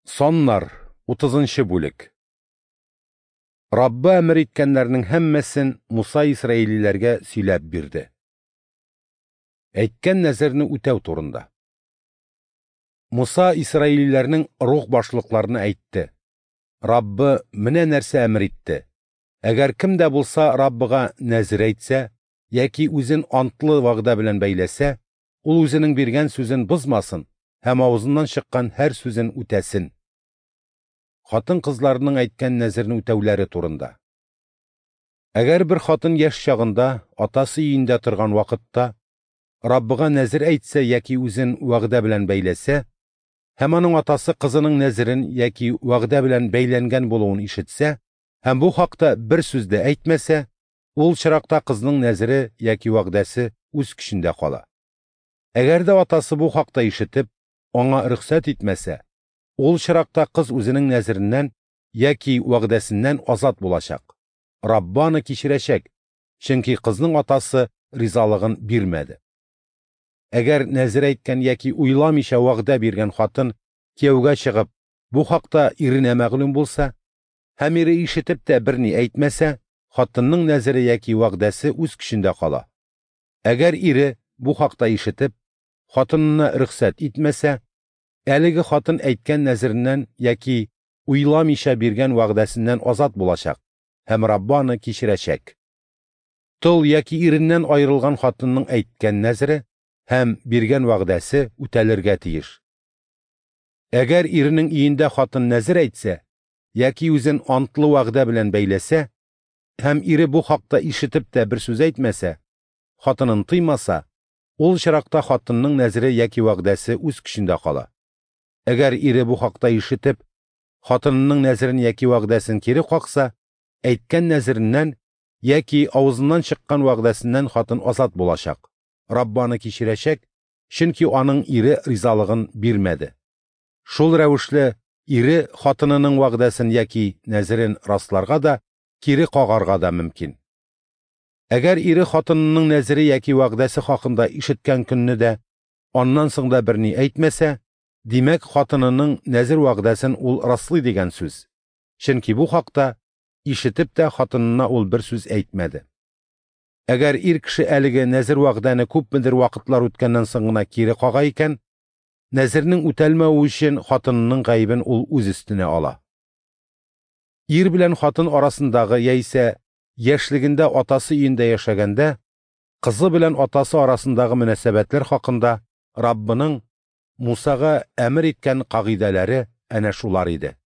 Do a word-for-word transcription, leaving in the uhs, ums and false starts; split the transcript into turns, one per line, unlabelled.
Саннар, утызынчы бүлек. Раббы әмер иткәннәрнең һәммәсен Муса исраилиләргә сөйләп бирде. Әйткән нәзерне үтәү турында. Муса исраилиләрнең рух башлыкларына әйтте: Раббы менә нәрсә әмер итте: әгәр кем дә булса Раббыга нәзер әйтсә яки үзен антлы вәгъдә белән бәйләсә, ул үзенең биргән сүзен бозмасын һәм авызыннан чыккан һәр сүзен үтәсен. Хатын-кызларының әйткән нәзерне үтәүләре турында. Әгәр бер хатын яшь чагында, атасы өендә торган вакытта, Раббыга нәзер әйтсә яки үзен вәгъдә белән бәйләсә, һәм аның атасы кызының нәзерен яки вәгъдә белән бәйләнгән булуын ишетсә, һәм бу хакта бер сүз дә әйтмәсә, ул чиракта кызның нәзере яки вәгъдәсе үз көчендә кала. Әгәр дә атасы бу хакта ишетеп, аңа рөхсәт итмәсә, ул чиракта кыз үзенең нәзереннән яки вәгъдәсеннән азат булачак. Раббы аны кичерәчәк, чөнки кызның атасы ризалыгын бирмәде. Әгәр нәзер әйткән яки уйламыйча вәгъдә биргән хатын кияүгә чыгып, бу хакта иренә мәгълүм булса, һәм ире ишетеп тә берни әйтмәсә, хатынның нәзере яки вәгъдәсе үз көчендә кала. Әгәр ире бу хакта ишетеп, хатынына рөхсәт итмәсә, әлеге хатын әйткән нәзереннән яки уйламыйча биргән вәгъдәсеннән азат булачак һәм Раббы аны кичерәчәк. Тол яки иреннән аерылган хатынның әйткән нәзере һәм биргән вәгъдәсе үтәлергә тиеш. Әгәр иренең өендә хатын нәзер әйтсә яки үзен антлы вәгъдә белән бәйләсә, һәм ире бу хакта ишетеп тә бер сүз әйтмәсә, хатынын тыймаса, ул чиракта хатынның нәзере яки вәгъдәсе үз көчендә кала. Әгәр ире бу хакта ишетеп, хатынының нәзерен яки вәгъдәсен кире какса, әйткән нәзереннән яки авызыннан чыккан вәгъдәсеннән хатын азат булачак. Раббы аны кичерәчәк, чөнки аның ире ризалыгын бирмәде. Шул рәвешле ире хатынының вәгъдәсен яки нәзерен расларга да, кире кагарга да мөмкин. Әгәр ире хатынының нәзере яки вәгъдәсе хакында ишеткән көнне дә, аннан соң да берни әйтмәсә, димәк, хатынының нәзер вәгъдәсен ул раслый дигән сүз. Чөнки бу хакта ишетеп тә хатынына ул бер сүз әйтмәде. Әгәр ир кеше әлеге нәзер вәгъдәне күпмедер вакытлар үткәннән соң гына кире кага икән, нәзернең үтәлмәве өчен хатынының гаебен ул үз өстенә ала. Ир белән хатын арасындагы яисә яшьлегендә атасы өендә яшәгәндә, кызы белән атасы арасындагы мөнәсәбәтләр хакында Раббының Мусага әмер иткән кагыйдәләре әнә шулар иде.